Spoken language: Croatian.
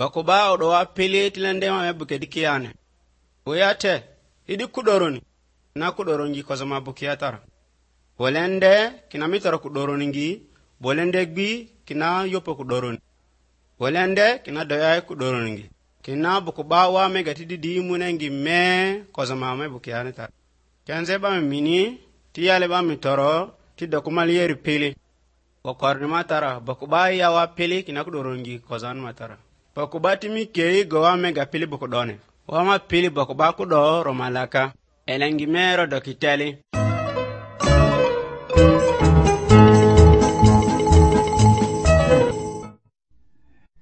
Bakuba odo wa pili tilende ma buke dikiane. Oyate idi kudoroni na kudorongi koza mabuke atara. Bolende kina mitara kudorongi, bolende gbi kina yopo kudoroni. Bolende kina doya kudorongi. Kina bakuba wa megati di munengi me koza mama buke aneta. Kenze ba mini tiyale ba mitoro ti dokumali yeri pili. Wakorni matara bakuba ya wa pili kina kudorongi koza matara. Bakuba timi kei gowa mega pili bukudone. Wama pili bakuba kudo romalaka. Elengi mero dokiteli.